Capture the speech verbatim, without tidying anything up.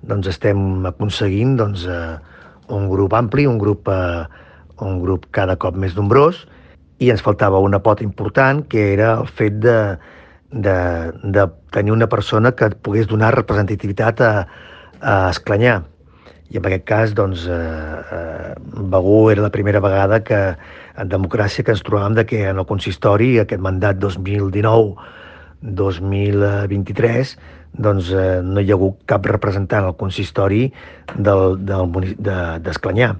doncs estem aconseguint doncs, eh, un grup ampli, un grup, eh, un grup cada cop més nombrós, i ens faltava una pota important, que era el fet de, de, de tenir una persona que et pogués donar representativitat a, a Esclanyà. I en aquest cas, doncs, eh, eh, Begur era la primera vegada que en democràcia que ens trobàvem de que en el consistori, aquest mandat dos mil dinou dos mil vint-i-tres, doncs eh, no hi ha hagut cap representant al consistori del, del, d'Esclanyà.